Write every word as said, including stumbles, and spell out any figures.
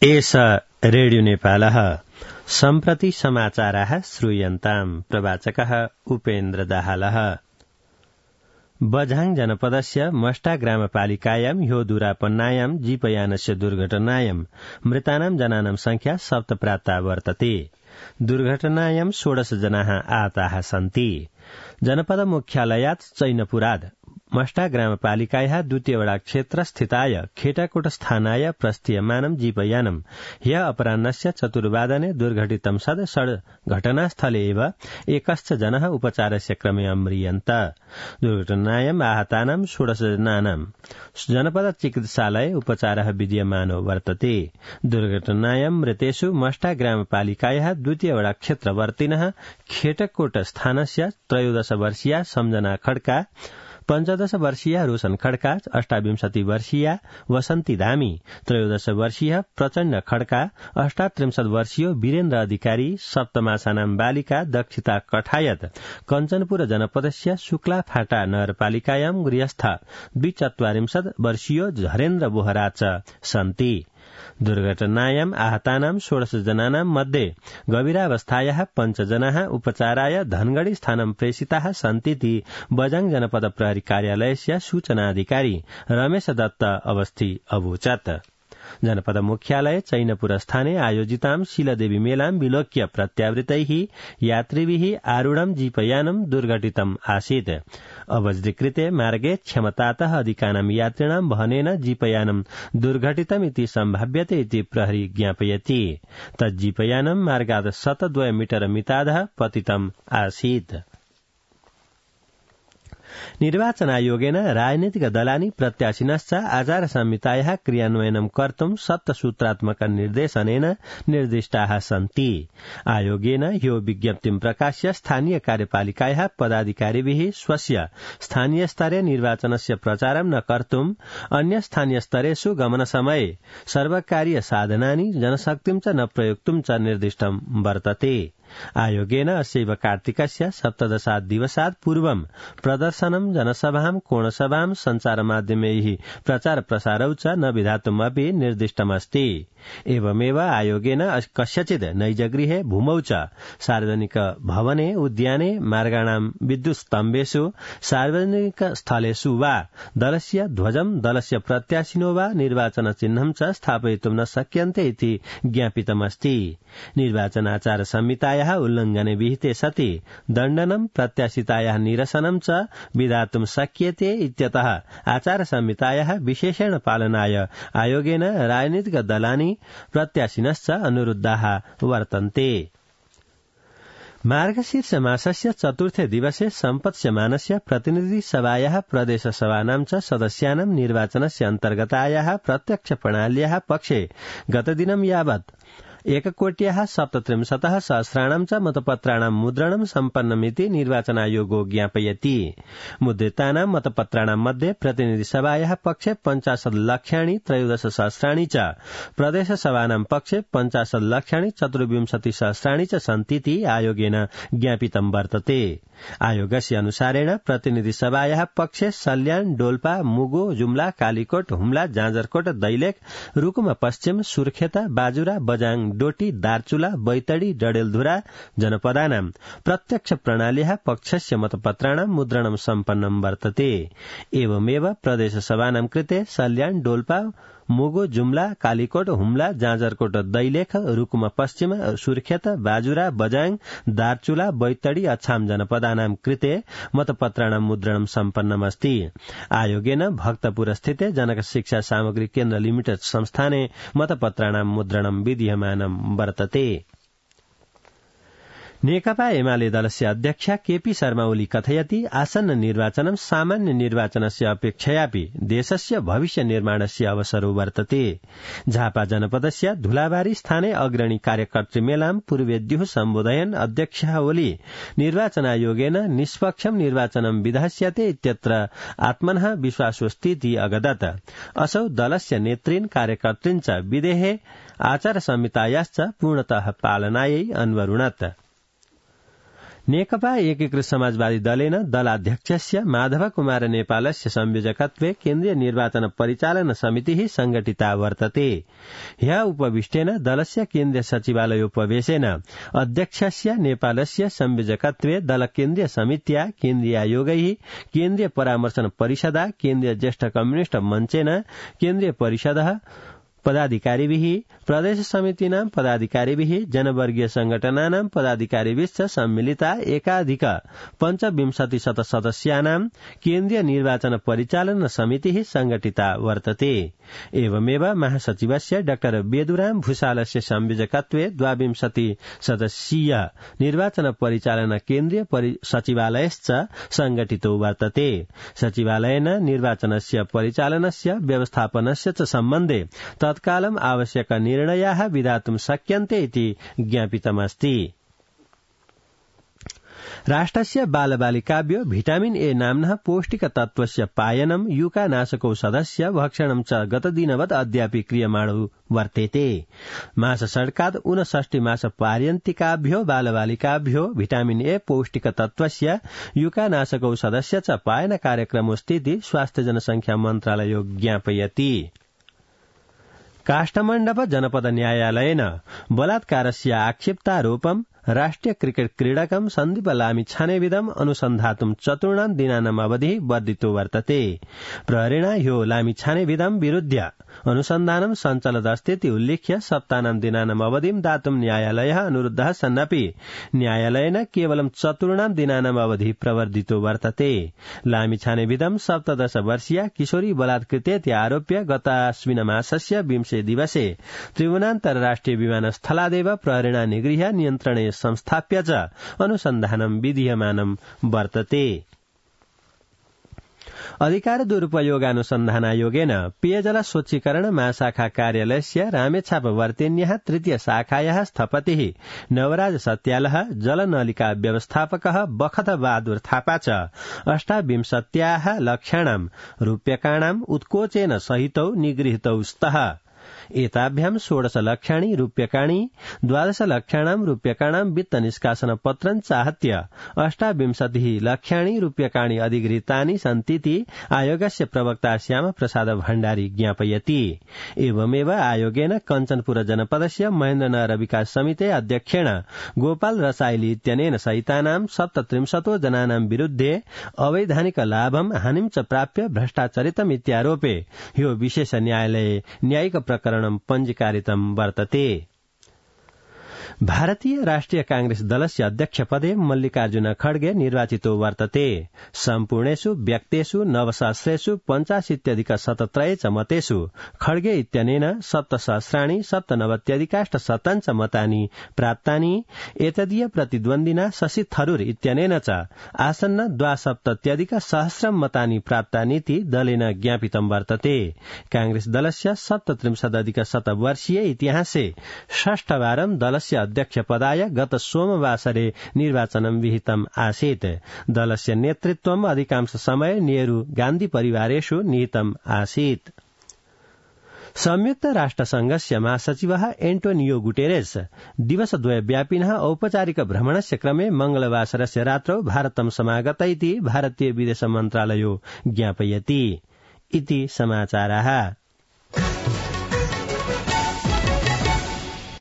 एष रेडियो नेपालः सम्प्रति समाचाराः श्रूयन्ताम्। प्रवाचकः उपेन्द्र दाहालः। बझाङ जनपदस्य मष्टा ग्रामपालिकायां ह्यो दुरापन्नायां जीपयानस्य दुर्घटनायां मृतानां जनानां संख्या सप्तप्राप्ता वर्तते। दुर्घटनायां षोडश जनाः आहताः सन्ति। जनपद मुख्यालयात् चैनपुराद मष्टा ग्रामपालिकायाः द्वितीय वडा क्षेत्र स्थिताय खेटाकोट स्थानाय प्रस्थीयमानं जीपयानं ह्य अपराह्नस्य चतुर्वादने दुर्घटितं सद् सड् घटनास्थले एव एकश्च जनः उपचारस्य क्रमे अम्रियन्त। दुर्घटनायाम् आहतानां षोडश जनानां जनपद चिकित्सालये उपचारः विद्यमानो वर्तते। दुर्घटनायां मृतेषु मष्टा ग्रामपालिकायाः द्वितीय वडा क्षेत्रवर्तिनः खेटकोट स्थानस्य त्रयोदश वर्षीया सम्जना खड्का, पञ्चदश वर्षीया रोशन खड्का, अष्टाविंशति वर्षीया वसन्ती धामी, त्रयोदश वर्षीय प्रचण्ड खड्का, अष्टात्रिंशत् वर्षीय वीरेन्द्र अधिकारी, सप्तमासानां बालिका दक्षिता कठायत कञ्चनपुर जनपदस्य शुक्ला फाटा नगरपालिकायां गृहस्थ द्विचत्वारिंशत् वर्षीय झरेन्द्र बोहरा च सन्ति। दुर्घटनायां आहतानां षोडश जनानां मध्ये गभीरावस्थायाः पञ्चजनाः उपचाराय धनगढ़ी स्थानं प्रेषिताः सन्तीति बझाङ जनपद प्रहरी कार्यालयस्य सूचनाधिकारी रमेश दत्त अवस्थी अवोचत्। जनपद मुख्यालय चैनपुर स्थाने आयोजितां शीलदेवी मेलां विलोक्य प्रत्यावृतैः यात्रिभिः आरूढं जीपयानं दुर्घटितम् आसीत्। अवज्रीकृते मार्गे क्षमतातः अधिकानां यात्रिणां वहनेन जीपयानं दुर्घटितमिति सम्भाव्यते इति प्रहरी ज्ञापयति। तज्जीपयानं मार्गात् शतद्वय मीटर मितादः पतितम् आसीत्। निर्वाचनायोगेन राजनीतिक दलानि प्रत्याशिनश्च आचार संहितायाः क्रियान्वयनं कर्तुं सप्तसूत्रात्मक निर्देशनेन निर्दिष्टाः सन्ति। आयोगेन ह्यो विज्ञप्तिं प्रकाश्य स्थानीय कार्यपालिकायाः पदाधिकारिभिः स्वस्य स्थानीय स्तरे निर्वाचनस्य प्रचारं न कर्तुं अन्य स्थानीय स्तरेषु गमनसमये सर्वकारीय साधनानि जनशक्तिं च न प्रयोक्तुं च निर्दिष्टं वर्तते। आयोगेन अस्यैव कार्तिकस्य सप्तदशात् दिवसात् पूर्वं प्रदर्शनं जनसभां कोणसभां सञ्चारमाध्यमैः प्रचार प्रसारौ च न विधातुमपि निर्दिष्टमस्ति। एवमेव आयोगेन कस्यचित् नैजगृहे भूमौ च सार्वजनिक भवने उद्याने मार्गाणां विद्युत स्तम्भेषु सार्वजनिक स्थलेषु वा दलस्य ध्वजं दलस्य प्रत्याशिनो वा निर्वाचन चिह्नं च स्थापयितुं न शक्यन्ते इति ज्ञापितमस्ति। निर्वाचनाचार संहितायाः उल्लंघने विहिते सति दण्डनं प्रत्याशितायाः निरसनं च विधातुं शक्यते इत्यतः आचार संहितायाः विशेषेण पालनाय आयोगेन राजनीतिक दलानि प्रत्याशिनश्च अनुरुद्धाः वर्तन्ते। मार्गशीर्ष मासस्य चतुर्थे दिवसे सम्पत्स्यमानस्य प्रतिनिधि सभायाः प्रदेश सभानां च सदस्यानां निर्वाचनस्य अन्तर्गतायाः प्रत्यक्ष प्रणाल्याः पक्षे गतदिनं यावत् एककोट्याः सप्तत्रिंशतः सहस्राणां च मतपत्राणां मुद्रणं सम्पन्नमिति निर्वाचनायोगो ज्ञापयति। मुद्रितानां मतपत्राणां मध्ये प्रतिनिधिसभायाः पक्षे पञ्चाशत् लक्षाणि त्रयोदश सहस्राणि च, प्रदेशसभानां पक्षे पञ्चाशत् लक्षाणि चतुर्विंशति सहस्राणि च सन्तीति आयोगेन ज्ञापितं वर्तते। आयोगस्य अनुसारेण प्रतिनिधिसभायाः पक्षे सल्यान, डोल्पा, मुगु, जुम्ला, कालीकोट, हुम्ला, जाजरकोट, दैलेख, रुकुम पश्चिम, सुर्खेता, बाजुरा, बझाङ, डोटी, दार्चुला, बैतडी, डडेलधुरा जनपदानां प्रत्यक्ष प्रणाल्याः पक्षस्य मतपत्राणां मुद्रणं सम्पन्नं वर्तते। एवमेव प्रदेशसभानां कृते सल्यान, डोल्पा, मुगु, जुम्ला, कालीकोट, हुम्ला, जाजरकोट, दैलेख, रुकुम पश्चिम, सुर्खेत, बाजुरा, बझाङ, दार्चुला, बैतडी, अछाम जनपदानां कृते मतपत्राणां मुद्रणं सम्पन्नमस्ति। आयोगेन भक्तपुर स्थिते जनक शिक्षा सामग्री केन्द्र लिमिटेड संस्थाने मतपत्राणां मुद्रणं विधीयमानं वर्तते। नेकपा एमाले दलस्य अध्यक्ष केपी शर्मा ओली कथयति आसन्न निर्वाचनं सामान्य निर्वाचनस्य अपेक्षयापि देशस्य भविष्य निर्माणस्य अवसरो वर्तते। झापा जनपदस्य धुलाबारी स्थाने अग्रणी कार्यकर्तृमेलां पूर्वेद्युः सम्बोधयन् अध्यक्ष ओली निर्वाचनायोगेन निष्पक्षं निर्वाचनं विधास्यते इत्यत्र आत्मनः विश्वासोऽस्तीति अगदत्। असौ दलस्य नेतृन् कार्यकर्तृन् च विधेः आचार संहितायाश्च पूर्णतः पालनायै अन्वरुणत्। नेकपा एकीकृत समाजवादी दलेन दलाध्यक्षस्य माधव कुमार नेपालस्य संयोजकत्वे केन्द्रीय निर्वाचन परिचालन समितिः संघटिता वर्तते। ह्यः उपविष्टेन दलस्य केन्द्रीय सचिवालयोपवेशेन अध्यक्षस्य नेपालस्य संयोजकत्वे दल केन्द्रीय समित्या केन्द्रीयायोगैः केन्द्रीय परामर्शन परिषदा केन्द्रीय ज्येष्ठ कम्युनिष्ट मञ्चेन केन्द्रीय परिषदः पदाधिकारिभिः प्रदेश समितीनां पदाधिकारिभिः जनवर्गीय संगठनानां पदाधिकारिभिश्च सम्मिलिता एकाधिक पञ्चविंशति शत सदस्यानां केन्द्रीय निर्वाचन परिचालन समितिः संघटिता वर्तते। एवमेव महासचिवस्य डाक्टर बेदुराम भूषालस्य संयोजकत्वे द्वाविंशति सदस्यीय निर्वाचन परिचालन केन्द्रीय सचिवालयश्च संघटितो वर्तते। सचिवालयेन निर्वाचनस्य परिचालनस्य व्यवस्थापनस्य च सम्बन्धे तत्कालम् आवश्यक निर्णयाः विधातुं शक्यन्ते इति ज्ञापितमस्ति। राष्ट्रस्य बालबालिकाभ्यो भिटामिन ए नाम्नः पौष्टिकतत्त्वस्य पायनं युकानाशकौषधस्य भक्षणं च गतदिनवत् अद्यापि क्रियमाणो वर्तेते। मासषड्कात् ऊनषष्टि मास पार्यन्तिकाभ्यो बालबालिकाभ्यो भिटामिन ए पौष्टिकतत्त्वस्य युकानाशकौषधस्य च पायन कार्यक्रमोऽस्तीति स्वास्थ्य जनसंख्या मन्त्रालयो ज्ञापयति। काष्ठमण्डप जनपद न्यायालयेन बलात्कारस्य आक्षेप्तारोपं राष्ट्रिय क्रिकेट क्रीडकं सन्दीप लामिछानेविदम् अनुसन्धातुं चतुर्णां दिनानाम् अवधिः वर्धितो वर्तते। प्रहरेण ह्यो लामिछानेविदं विरुध्य अनुसन्धानं सञ्चलदस्तीति उल्लिख्य सप्ताहनां दिनानाम् अवधिं दातुं न्यायालयः अनुरुद्धः सन्नपि न्यायालयेन केवलं चतुर्णां दिनानाम् अवधिः प्रवर्धितो वर्तते। लामिछानेविदं सप्तदश वर्षीया किशोरी बलात्कृतेति आरोप्य गताश्विन मासस्य विंशे दिवसे त्रिभुवनान्तर्राष्ट्रिय विमानस्थलादेव प्रहरेण निगृह्य नियन्त्रणे संस्थाप्य च अनुसन्धानं विधीयमानं वर्तते। अधिकार दुरुपयोगानुसन्धानायोगेन पेयजल स्वच्छीकरण महाशाखा कार्यालयस्य रामेछाप वर्तेन्यः तृतीय शाखायाः स्थपतिः नवराज सत्यालः जलनलिका व्यवस्थापकः बखत बहादुर थापा च अष्टाविंशत्याः लक्षाणां रूप्यकाणां उत्कोचेन सहितौ निगृहीतौ स्तः। एताभ्यां षोडश लक्षाणि रूप्यकाणि द्वादश लक्षाणां रूप्यकाणां वित्त निष्कासन पत्रं चाहत्य अष्टाविंशतिः लक्षाणि रूप्यकाणि अधिगृहीतानि सन्तीति आयोगस्य प्रवक्ता श्याम प्रसाद भण्डारी ज्ञापयति। एवमेव आयोगेन कञ्चनपुर जनपदस्य महेन्द्रनगर विकास समिते अध्यक्षेण गोपाल रसाइली इत्यनेन सहितानां सप्तत्रिंशतो जनानां विरुद्धे अवैधानिक लाभं हानिं च प्राप्य भ्रष्टाचरितम् इत्यारोपे ह्यो विशेष न्यायालये न्यायिक प्रकरणं पञ्जीकारितं वर्तते। भारतीय राष्ट्रिय कांग्रेस दलस्य अध्यक्षपदे मल्लिकार्जुन खड्गे निर्वाचितो वर्तते। सम्पूर्णेषु व्यक्तेषु नवसहस्रेषु पञ्चाशीत्यधिक शतत्रये च मतेषु खड्गे इत्यनेन सप्तसहस्राणि सप्तनवत्यधिकाष्टशतं च मतानि प्राप्तानि। एतदीय प्रतिद्वन्दिना शशि थरूर इत्यनेन च आसन्न द्वासप्तत्यधिक सहस्रं मतानि प्राप्तानीति दलेन ज्ञापितं वर्तते। कांग्रेस दलस्य सप्तत्रिंशदधिक शतवर्षीय इतिहासे षष्ठवारं दलस्य अध्यक्षपदाय गत सोमवासरे निर्वाचनं विहितम् आसीत्। दलस्य नेतृत्वम् अधिकांश समय नेहरू गान्धी परिवारेषु निहितम् आसीत्। संयुक्त राष्ट्रसंघस्य महासचिवः एन्टोनियो गुटेरेस दिवसद्वयव्यापिनः औपचारिक भ्रमणस्य क्रमे मंगलवासरस्य रात्रौ भारतं समागत इति भारतीय विदेश मन्त्रालयो ज्ञापयति। इति समाचाराः।